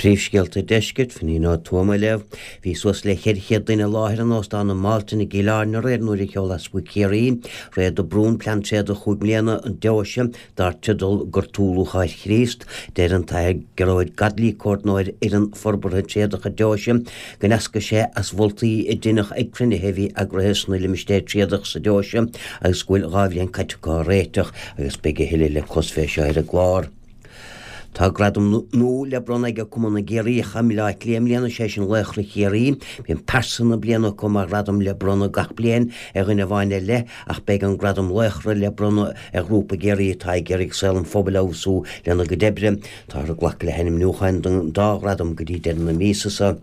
Príomhscéalta Deiscirt, Finín Ó Tuama á léamh. Bhí suas le 400 duine i láthair in Óstán an Mhalton i gCill Airne aréir nuair a sheol Easpag Chiarraí, Ray de Brún, Plean Tréadach chúig mbliana an Deoise dar teideal Gortú Lúcháir Chríost. Deir an tAthair Gearóid Godley, Comhordnóir Fhoireann Forbartha Tréadach an Deoise, go ndeascaigh sé as mholtaí a deineadh ag cruinnithe a bhí eagraithe sna limistéir tréadach sa Deoise agus go bhfuil 2 bhliain caite acu á réiteach agus beidh a thuilleadh le clos fé seo ar an gclár. Tá gradam nua le bronnadh ag Cumann na gCiarraíoch i mBleá Cliath i mbliana, sé sin Laochra Chiarraí. Bíonn Pearsa na Bliana acu mar ghradam le bronnadh gach bliain ar dhuine amháin ar leith ach beidh an gradam Laochra le bronnadh ar ghrúpa i gCiarraí atá ag iarraidh saol an phobail a fheabhsú lena gcuid oibre. Táthar ag glacadh le hainmniúcháin don dá ghradam go dtí deireadh na míosa seo.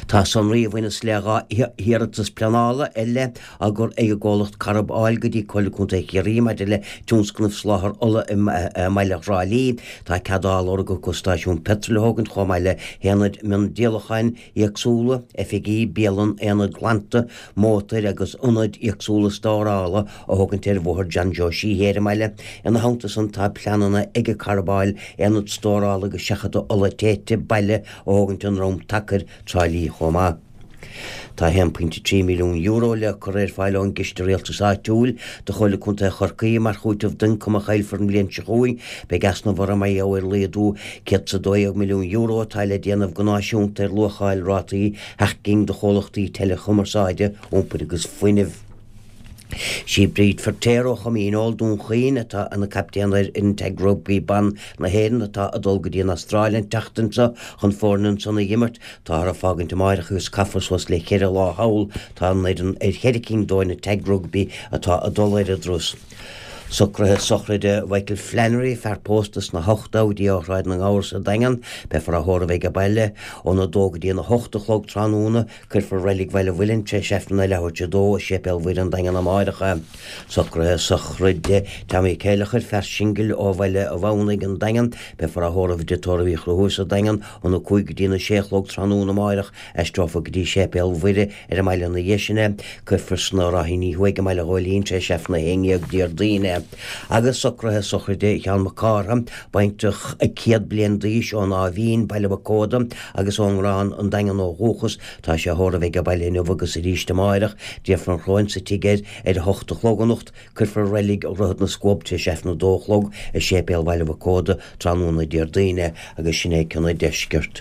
Tá sonraí a bhaineas le 2 hiarratas pleanála ar leith á gcur ag an gcomhlacht Corrib Oil go dtí Comhairle Contae Chiarraí maidir le tionscnamh soláthar ola i mbaile Thrá Lí. Tá cead á lorg acu stáisiún peitril a thógaint chomh maith le haonaid miondíolacháin éagsúla, oifigí, bialann, aonad glanta mótair agus ionaid éagsúla stórála a thógaint ar Bhóthar John Joe Sheehy ar an mbaile. Ina theannta san tá pleananna ag Corrib Oil aonad stórála agus seachadta ola téite baile a thógaint i nDroim Tacair, Trá Lí chomh maith. Tá €1.3 milliún le cur ar fáil ón gCiste Rialtais Áitiúil do Chomhairle Contae Chorcaí mar chúiteamh d'ioncam a chaillfear an bhliain seo chugainn. Beidh easnamh orthu mar gheall ar laghdú €112 milliún atá le déanamh go náisiúnta ar luacháil rátaí sheacht gcinn de chomhlachtaí teileachumarsáide, iompair agus fuinnimh. Sí Bríd Feirtéar ó Chom Dhíneol, Dún Chaoin, atá ina captaen ar fhoireann Tag Rugbaí Ban na hÉireann atá ag dul go dtí an Astráil an tseachtain seo chun foirne ansan a dh'imirt. Táthar ag fágaint amáireach agus caithfear suas le cheithre lá thall. Tá an fhoireann ar cheithre cinn d'fhoirne Tag Rugbaí atá ag dul ar an dturas. Socruithe sochraide Mhichael Flannery, fear pósta sna hochtóidí ó Shráid na nGabhar sa Daingean. Beifear á thórramh age baile óna dó go dtí an 8 a chlog tráthnóna. Cuirfear Reilig Bhaile Mhuilinn tar éis Aifreann a leathuair tar 2 i Séipéal Mhuire an Daingean amáireach. Socruithe sochraide Tommy Céileachair, fear singil ó Bhaile an Mhamhnaigh, an Daingean. Beifear á thórramh i dTigh Tórraimh Uí Chonchúir sa Daingean óna 5 go dtí na 6 a chlog tráthnóna amáireach. Aistreofar go dtí Séipéal Mhuire ar an mbaile ina dhiaidh sin é. Cuirfear sna Ráithíní Thuaidh i mBaile Ghóilín tar éis Aifreann 11 Déardaoin é. Agus socruithe sochraide Sheán Mac Cártha, baintreach 100 bliain d'aois ón Áth Mhín, Baile Mhic Óda, agus ón nGrán, An Daingean ó dhúchas. Tá sé á thórramh age baile inniu agus arís amáireach. Déanfar an chróin sa tigh air ar a hocht a chlog anocht. Cuirfear i Reilig Dhroichead na Scuab tar éis Aifreann a dó a chlog i Séipéal Bhaile Mhic Óda tráthnóna Déardaoin é agus sin é cionn an deiscirt.